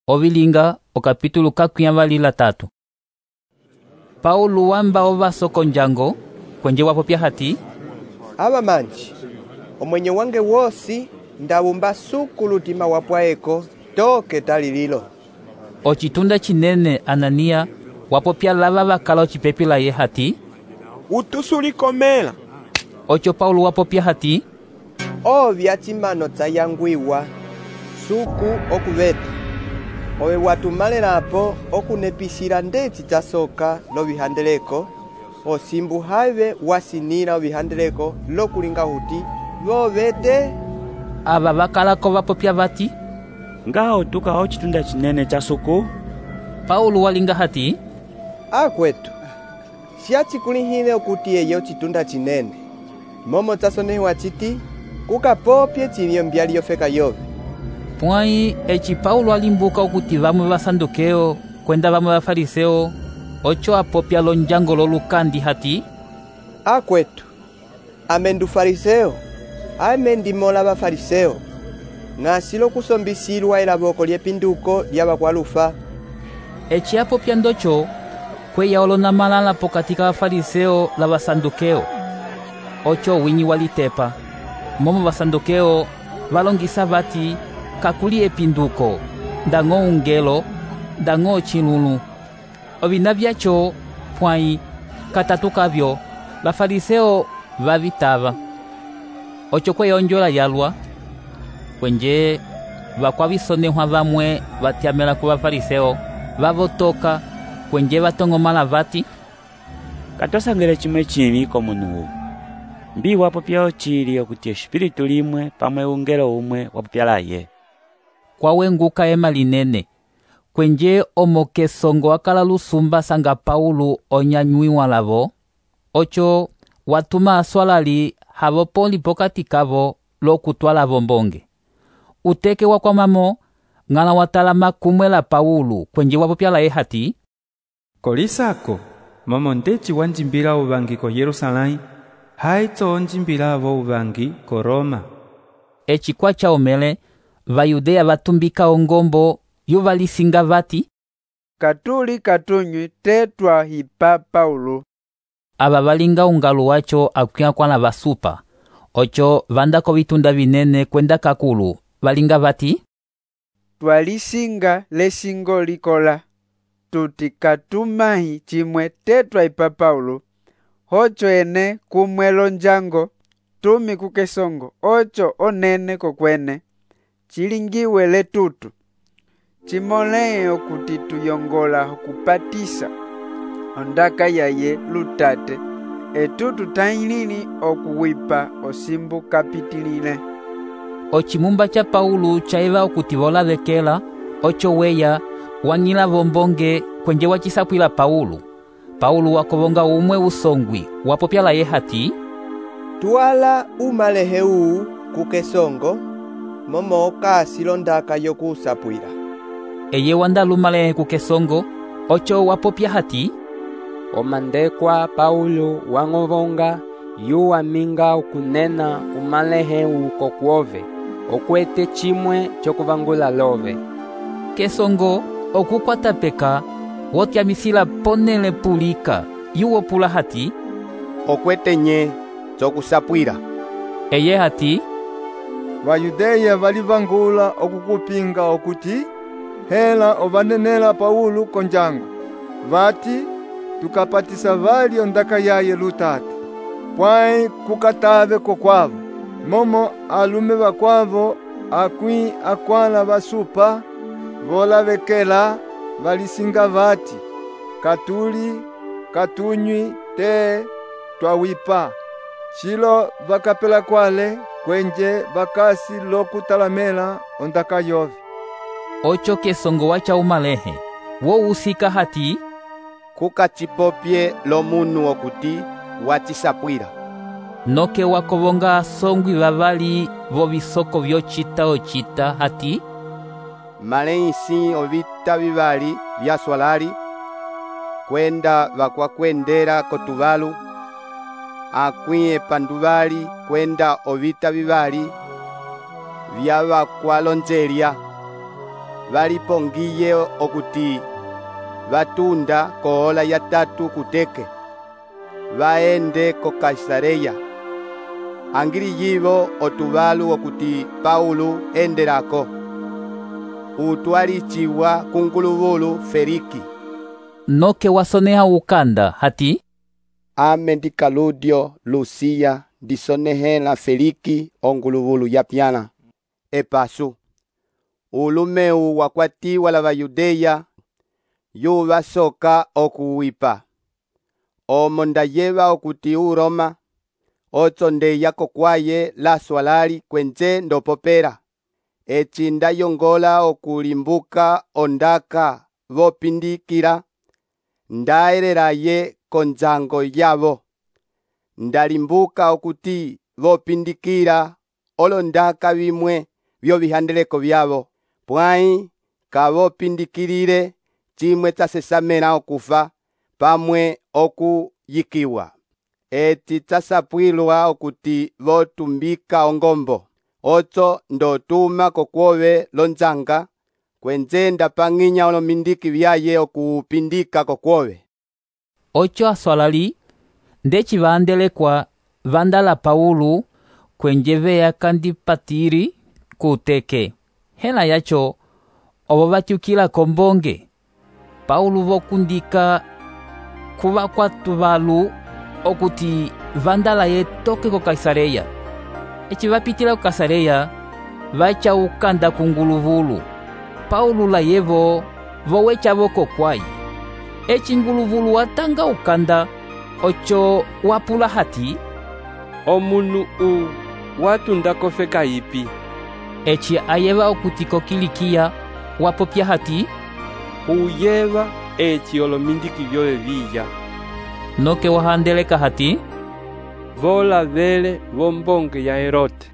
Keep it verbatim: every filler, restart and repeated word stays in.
Ovilinga okapitulo kakwiyavali latatu. Paulo wamba ovasoko njango kwenje wapopya hati: Ava manji, omwenye wange wosi ndawumba suku lutima wapwaeko toke talililo. Ochitunda chinene Anania wapopya lava vakala ocipepi laye hati: Utusulikomela. Ocho Paulo wapopya hati: Ovya chimano tsayangwiwa suku okuveta. Owe watumalelapo okunepisila ndeci tsasoka lovihandeleko, osimbu have wasinila ovihandeleko lokulinga huti vovete. Ava vakalako vapopya vati: Ngaho tuka ochitunda chinene cha suku. Paulo walinga hati: Akwetu, siachikulihile okuti eye ochitunda chinene, momo tsasonehiwa chiti kukapopye chilio mbyali yofeka yove. Pwai eci Paulo alimbuka okuti vamwe vasandukeo kwenda vamwe vafariseo ocho apopya lonjango lolukandi hati: Akwetu, amendu fariseo, amendimola bafariseo, ng'asilo kusombisilwa elavoko lyepinduko lyavakwalufa. Eci apopya ndocho kweya olona malala pokati ka vafariseo la vasandukeo. Ocho winyi walitepa, momo vasandukeo valongisa vati kakuli epinduko, ndango ungelo, ndango chilulu. Ovina vyacho pwai katatu kavyo vafariseo vavitava. Ocho kweya onjola yalwa kwenje vakwavisonehwa vamwe vatyamela ku vafariseo vavotoka kwenje vatongomala vati: Katosangele chimwe chili komunuwu. Mbi wapopya ochili okuti espiritu limwe pamwe ungelo umwe wapopya laye. Kwawenguka ema linene kwenje omokesongo wakala lusumba sanga Paulo onyanywiwa lavo. Ocho watuma aswalali havo poli pokati kavo lokutwala vombonge. Uteke wakwamamo ng'ala watalama kumwe la Paulo kwenje wapopya laye hati: Kolisako momo ndeci wanjimbila uvangi ko Yerusalai, haitso onjimbila vo uvangi ko Roma. Eci kwacha omele Vayudea vatumbika ongombo yuvalisinga vati: Katuli katunywi tetwa hipa Paulo. Ava valinga ungalu wacho akwia kwana vasupa. Ocho vandako vitunda vinene kwenda kakulu valinga vati: Twalisinga lesingo likola tuti katumahi chimwe tetwa hipa Paulo. Ocho ene kumwelo njango tumi kukesongo ocho onene kokwene chilingiwe letutu chimoleye okuti tuyongola okupatisa ondaka yaye lutate etutu tailili okuwipa osimbu kapitilile. Ochimumba cha Paulo chaiva okuti volavekela. Ocho weya wang'ila vombonge kwenje wachisapwila Paulo. Paulo wakovonga umwe usongwi wapopya laye hati: Twala umalehe uu kukesongo, momo kasilo ndaka yokusapwila. Eye wanda lumalehe kukesongo. Ocho wapopya hati: Omandekwa Paulo wang'ovonga yu aminga ukunena umalehe uu kokuove okwete chimwe chokuvangula love. Kesongo okukwata peka wotyamisila ponele pulika yuwopula hati: Okwete nye chokusapwila. Eye hati: Vayudeya valivangula okukupinga okuti hela ovanenela Paulo konjango. Vati tukapatisa vali ondaka yaye lutate. Pwai kukatave kokwavo. Momo alume vakwavo akwi akwala vasupa volavekela valisinga vati katuli katunywi te twawipa. Chilo vakapela kwale kwenje vakasi lokutalamela ondaka yove. Ocho kesongo wacha umalehe wo usika hati: Kukachipopye lomunu okuti wachisapwila. Noke wakovonga asongwi vavali vo visoko vyochita ochita hati: Maleisi ovita vivali vyaswalali kwenda vakwakwendela kotuvalu, akwi epanduvali kwenda ovita vivali vyavakwalonjelya valipongiye okuti vatunda koola ya tatu kuteke vaende ko Kaisareya. Angili yivo otuvalu okuti Paulo endelako utwaliciwa kunguluvulu Feliki. Noke wasoneha ukanda hati ame ndi Kaludio Lusia ndisonehela Feliki onguluvulu yapyana epasu ulumeu wakwatiwa la Vayudeya yuva soka okuwipa omo ndayeva okuti u Roma otsondeya kokwaye la swalali kwenze ndopopera eci ndayongola okulimbuka ondaka vopindikira ndaelelaye konzango yavo ndalimbuka okuti vopindikira olondaka vimwe vyovihandeleko vyavo pwai kavopindikirire chimwe tsasesamela okufa pamwe okuyikiwa eti tsasapwilwa okuti votumbika ongombo otso ndotuma kokwove lonzanga kwenze ndapang'inya olomindiki vyaye okupindika kokwove. Ocho aswalali ndeci vaandelekwa vandala Paulo kwenje veya kandipatiri kuteke hela yacho ovo vatyukila kombonge Paulo vokundika kuva kwatu valu okuti vandala ye toke ko Kaisareya. Eci vapitila ko Kaisareya vacha ukanda kunguluvulu Paulo la yevo vowecha voko kwai. Eci nguluvulu watanga ukanda ocho wapula hati omunu u watunda kofeka ipi. Eci ayeva okuti ko Kilikia wapopya hati uyeva eci olomindiki vyove viya. Noke wahandeleka hati vola vele vombonge ya Herote.